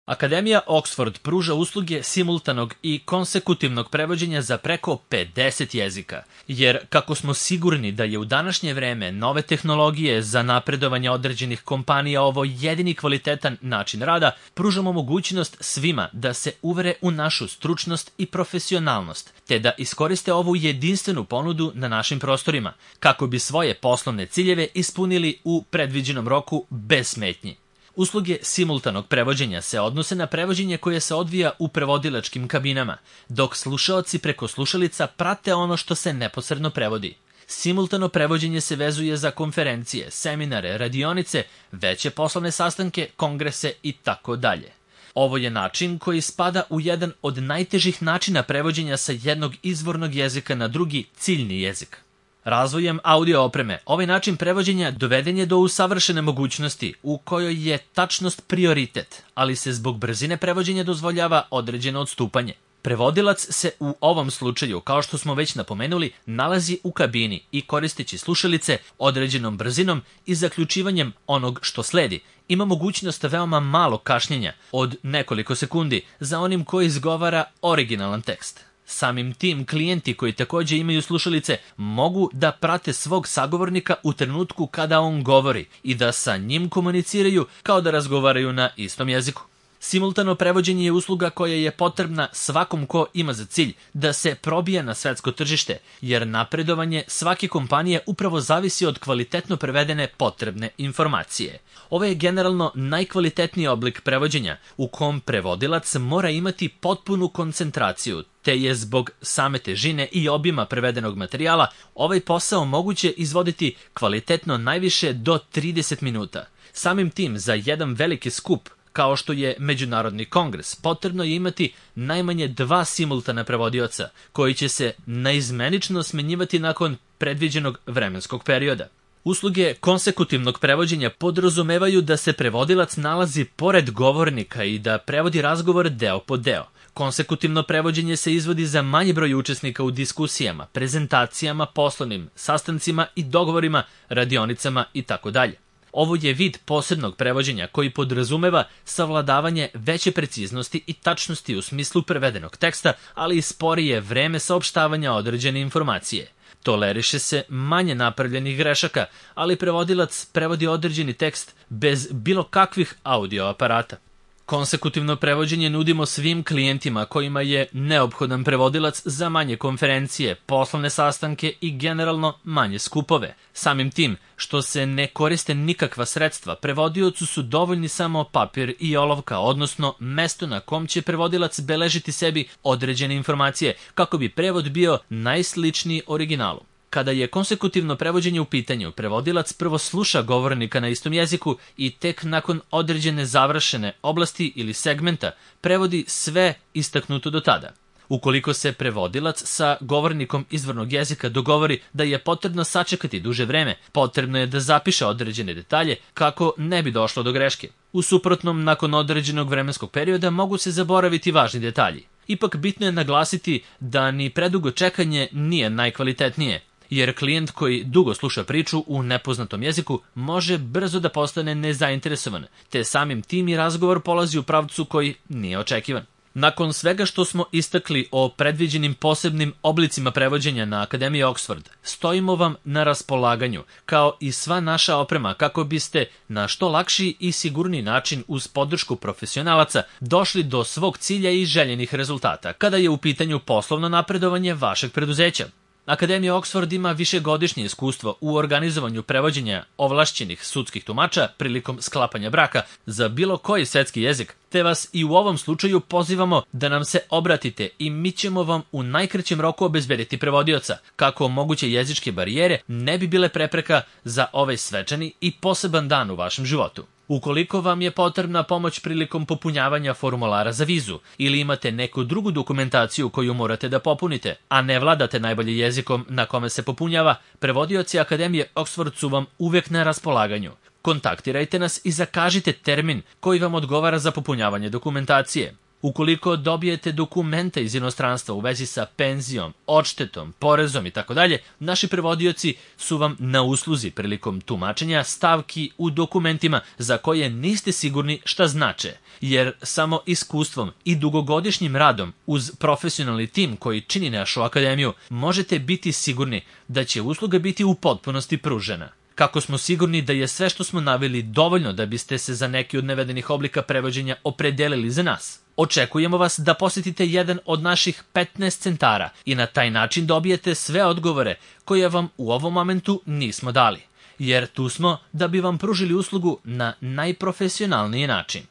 Akademija Oxford pruža usluge simultanog i konsekutivnog prevođenja za preko 50 jezika, jer kako smo sigurni da je u današnje vreme nove tehnologije za napredovanje određenih kompanija ovo jedini kvalitetan način rada, pružamo mogućnost svima da se uvere u našu stručnost i profesionalnost, te da iskoriste ovu jedinstvenu ponudu na našim prostorima, kako bi svoje poslovne ciljeve ispunili u predviđenom roku bez smetnji. Usluge simultanog prevođenja se odnose na prevođenje koje se odvija u prevodilačkim kabinama, dok slušaoci preko slušalica prate ono što se neposredno prevodi. Simultano prevođenje se vezuje za konferencije, seminare, radionice, veće poslovne sastanke, kongrese itd. Ovo je način koji spada u jedan od najtežih načina prevođenja sa jednog izvornog jezika na drugi ciljni jezik. Razvojem audio opreme, ovaj način prevođenja doveden je do usavršene mogućnosti u kojoj je tačnost prioritet, ali se zbog brzine prevođenja dozvoljava određeno odstupanje. Prevodilac se u ovom slučaju, kao što smo već napomenuli, nalazi u kabini i koristeći slušalice određenom brzinom i zaključivanjem onog što sledi, ima mogućnost veoma malo kašnjenja od nekoliko sekundi za onim koji izgovara originalan tekst. Samim tim, klijenti koji takođe imaju slušalice mogu da prate svog sagovornika u trenutku kada on govori i da sa njim komuniciraju kao da razgovaraju na istom jeziku. Simultano prevođenje je usluga koja je potrebna svakom ko ima za cilj da se probije na svetsko tržište, jer napredovanje svake kompanije upravo zavisi od kvalitetno prevedene potrebne informacije. Ovo je generalno najkvalitetniji oblik prevođenja u kom prevodilac mora imati potpunu koncentraciju, te je zbog same težine i obima prevedenog materijala ovaj posao moguće izvoditi kvalitetno najviše do 30 minuta. Samim tim, za jedan veliki skup kao što je Međunarodni kongres, potrebno je imati najmanje 2 simultana prevodioca, koji će se naizmenično smenjivati nakon predviđenog vremenskog perioda. Usluge konsekutivnog prevođenja podrazumevaju da se prevodilac nalazi pored govornika i da prevodi razgovor deo po deo. Konsekutivno prevođenje se izvodi za manji broj učesnika u diskusijama, prezentacijama, poslovnim sastancima i dogovorima, radionicama itd. Ovo je vid posebnog prevođenja koji podrazumeva savladavanje veće preciznosti i tačnosti u smislu prevedenog teksta, ali i sporije vreme saopštavanja određene informacije. Toleriše se manje napravljenih grešaka, ali prevodilac prevodi određeni tekst bez bilo kakvih audio aparata. Konsekutivno prevođenje nudimo svim klijentima kojima je neophodan prevodilac za manje konferencije, poslovne sastanke i generalno manje skupove. Samim tim, što se ne koriste nikakva sredstva, prevodiocu su dovoljni samo papir i olovka, odnosno mesto na kom će prevodilac beležiti sebi određene informacije, kako bi prevod bio najsličniji originalu. Kada je konsekutivno prevođenje u pitanju, prevodilac prvo sluša govornika na istom jeziku i tek nakon određene završene oblasti ili segmenta prevodi sve istaknuto do tada. Ukoliko se prevodilac sa govornikom izvornog jezika dogovori da je potrebno sačekati duže vreme, potrebno je da zapiše određene detalje kako ne bi došlo do greške. U suprotnom, nakon određenog vremenskog perioda mogu se zaboraviti važni detalji. Ipak bitno je naglasiti da ni predugo čekanje nije najkvalitetnije, jer klijent koji dugo sluša priču u nepoznatom jeziku može brzo da postane nezainteresovan, te samim tim i razgovor polazi u pravcu koji nije očekivan. Nakon svega što smo istakli o predviđenim posebnim oblicima prevođenja na Akademiji Oxford, stojimo vam na raspolaganju, kao i sva naša oprema, kako biste na što lakši i sigurniji način uz podršku profesionalaca došli do svog cilja i željenih rezultata, kada je u pitanju poslovno napredovanje vašeg preduzeća. Akademija Oxford ima višegodišnje iskustvo u organizovanju prevođenja ovlašćenih sudskih tumača prilikom sklapanja braka za bilo koji svetski jezik, te vas i u ovom slučaju pozivamo da nam se obratite i mi ćemo vam u najkraćem roku obezbediti prevodioca, kako moguće jezičke barijere ne bi bile prepreka za ovaj svečani i poseban dan u vašem životu. Ukoliko vam je potrebna pomoć prilikom popunjavanja formulara za vizu ili imate neku drugu dokumentaciju koju morate da popunite, a ne vladate najbolje jezikom na kome se popunjava, prevodioci Akademije Oxford su vam uvek na raspolaganju. Kontaktirajte nas i zakažite termin koji vam odgovara za popunjavanje dokumentacije. Ukoliko dobijete dokumente iz inostranstva u vezi sa penzijom, odštetom, porezom itd., naši prevodioci su vam na usluzi prilikom tumačenja stavki u dokumentima za koje niste sigurni šta znače, jer samo iskustvom i dugogodišnjim radom uz profesionalni tim koji čini našu akademiju možete biti sigurni da će usluga biti u potpunosti pružena. Kako smo sigurni da je sve što smo naveli dovoljno da biste se za neki od navedenih oblika prevođenja opredelili za nas? Očekujemo vas da posjetite jedan od naših 15 centara i na taj način dobijete sve odgovore koje vam u ovom momentu nismo dali, jer tu smo da bi vam pružili uslugu na najprofesionalniji način.